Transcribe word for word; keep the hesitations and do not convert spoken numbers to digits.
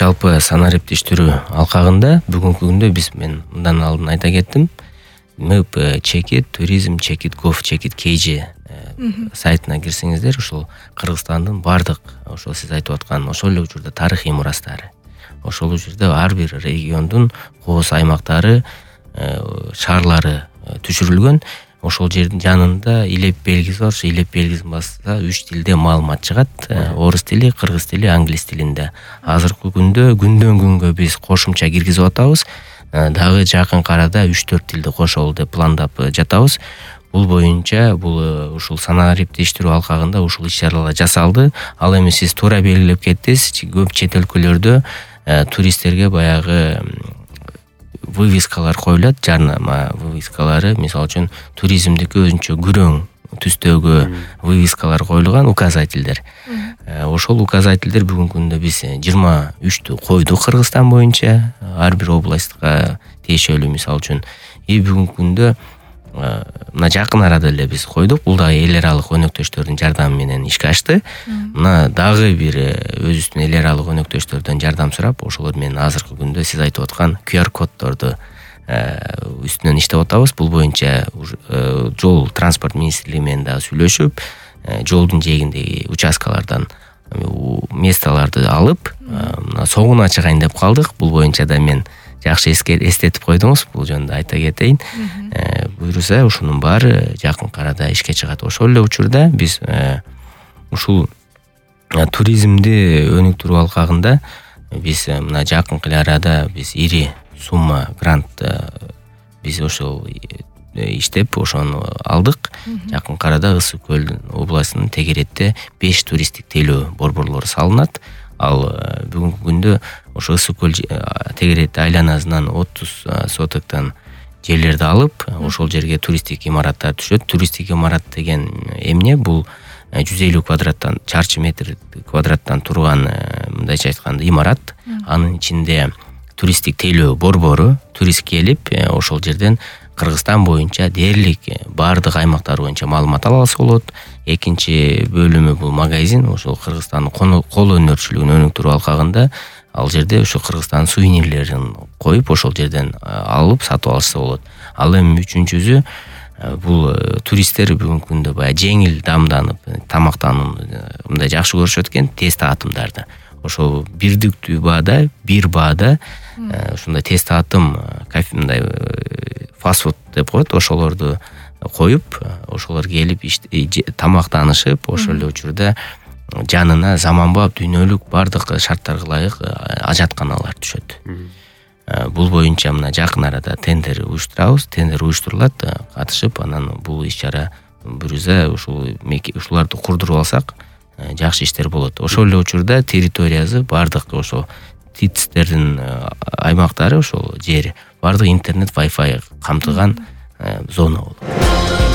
жалпы санариптештирүү алкагында бүгүнкү күндө биз мен мындан алдын айта кеттим. мэп чекит туризм чекит гов чекит kg сайтына кирсеңиздер, ошол Кыргызстандын бардык ошол сиз айтып аткан ошол эле учурда тарыхый мурастары, ошол учурда ар бир региондун кооз аймактары, шаарлары түшүрүлгөн. Ошол жердин жанында илеп белгиси бар. Илеп белгисин басса үч тилде маалымат чыгат. Орус тили, кыргыз тили, англис тилинде. Азыркы күндө күндөн күнгө биз кошумча киргизип атабыз. Дагы жакын арада үч төрт тилди кошолу деп пландап жатабыз. Бул боюнча бул ушул санариптештирүү алкагында ушул иш-чаралар жасалды. Ал эми сиз туура белгилеп кеттиз. Көп чет өлкөлөрдө туристтерге баягы вывескалар коюлат, жарнама вывескалары, мисалы үчүн туризмдики өзүнчө күрөң түстөгү вывескалар коюлган, указательдер. Ошол указательдер бүгүнкү күндө биз жыйырма үчтү койдук Кыргызстан боюнча, ар бир областка тиешелүү, мисалы үчүн. И бүгүнкү күндө мына жакын арада эле биз койдук. Бул дагы эл аралык өнөктөштөрдүн жардамы менен ишке ашты. Мына дагы бир өзүбүздүн эл аралык өнөктөштөрдөн жардам сурап, ошолор менен азыркы күндө сиз айтып аткан ку ар коддорду үстүнөн иштеп атабыз. Бул боюнча жол транспорт министрлиги менен дагы сүйлөшүп, жолдун жээгиндеги участкалардан месталарды алып, мына согуна чыгайын деп калдык. Бул боюнча да мен жакшы эстетип койдуңуз. Бул жөнүндө айта кетейин. Буюрса ушунун баары жакын арада ишке чыгат. Ошол эле учурда биз ушул туризмди өнүктүрүү алкагында биз мына жакын арада биз ири сумма грант биз ошол иштеп ошону алдык. Жакын арада Ысык көл областынын Тегеретте беш туристтик тейлөө борборлору салынат. Ал бүгүнкү күндө ошо Ысык көл Тегерет айланасынан отуз сотоктон жерлерди алып, ошол жерге туристтик имараттар түшөт. Туристтик имарат деген эмне? Бул жүз элүү квадраттан чарчы метр квадраттан турган, мындайча айтканда, имарат. Анын ичинде туристтик тейлөө борбору, турист келип, ошол жерден Кыргызстан боюнча дээрлик бардык аймактар боюнча маалымат ала алса болот. Экинчи бөлүмү бул магазин, ошол Кыргызстандын кол өнөрчүлүгүн өнүктүрүү алкагында. Ал жерде ошо Кыргызстан сувенирлерин коюп, ошол жерден алып сатып алышса болот. Ал эми үчүнчүсү бул туристтер бүгүнкү күндө баягы жеңил дамданып, тамактанууну мындай жакшы көрүшөт экен, тез таатымдарды. Ошо бирдиктүү баада, бир баада ушундай тез таатым, мындай фастфуд деп коет, ошолорду коюп, ошолор келип тамактанышып, ошол эле учурда жанына заманбап дүйнөлүк бардык шарттарга ылайык ажатканалар түшөт. Бул боюнча мына жакын арада тендер уюштурабыз, тендер уюштурулат, катышып, анан бул иш-чара бүрүзө ушул ушуларды курдуруп алсак, жакшы иштер болот. Ошол эле учурда территориясы бардык ошо ТИЦтердин аймактары, ошол жери бардык интернет, Wi-Fi камтыган зона болот.